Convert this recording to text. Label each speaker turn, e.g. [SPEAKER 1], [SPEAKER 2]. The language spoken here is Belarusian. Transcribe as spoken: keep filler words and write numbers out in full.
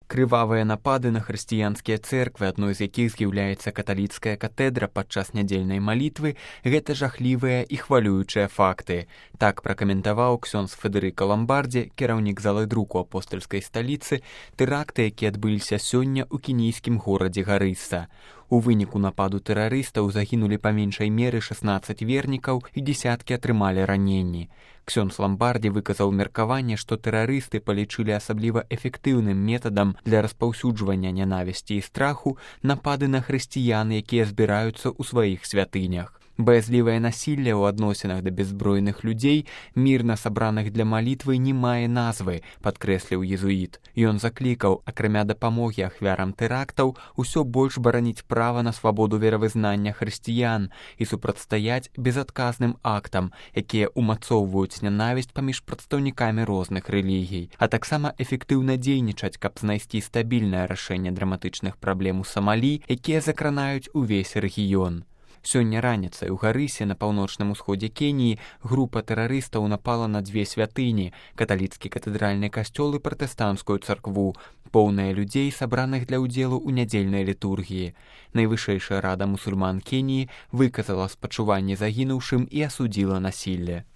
[SPEAKER 1] Крывавыя напады на хрысціянскія цэрквы, адной з якіх з'яўляецца каталіцкая катэдра падчас нядзельнай малітвы, гэта жахлівыя і хвалюючыя факты. Так пракаментаваў ксёндз Федэрыка Ламбардзі, кіраўнік залы друку апостальскай сталіцы, тэракты, якія адбыліся сёння ў кенійскім горадзе Гарыса. У выніку нападу тэрарыстаў загінулі па меншай меры шаснаццаць вернікаў і дзесяткі атрымалі раненні. Ксёндз Ламбардзі выказаў меркаванне, што тэрарысты палічылі асабліва эфектыўным метадам для распаўсюджвання нянавісці і страху напады на хрысціян, якія збіраюцца ў сваіх святынях. Баязлівае насілле ў адносінах да бяззбройных людзей, мірна сабраных для малітвы, не мае назвы, падкрэсліў езуіт. Ён заклікаў, акрамя дапамогі ахвярам тэрактаў, усё больш бараніць права на свабоду веравызнання хрысціян і супрацьстаяць безадказным актам, якія ўмацоўваюць нянавісць паміж прадстаўнікамі розных рэлігій, а таксама эфектыўна дзейнічаць, каб знайсці стабільнае рашэнне драматычных праблем у Самалі, якія закранаюць увесь рэгіён. Сёння раніцай у Гарысе на паўночным усходзе Кеніі група тэрарыстаў напала на дзве святыні, каталіцкі катэдральны касцёл і пратэстанцкую царкву, поўныя людзей, сабраных для ўдзелу ў нядзельнай літургіі. Найвышэйшая рада мусульман Кеніі выказала спачуванне загінуўшым і асудзіла насілле.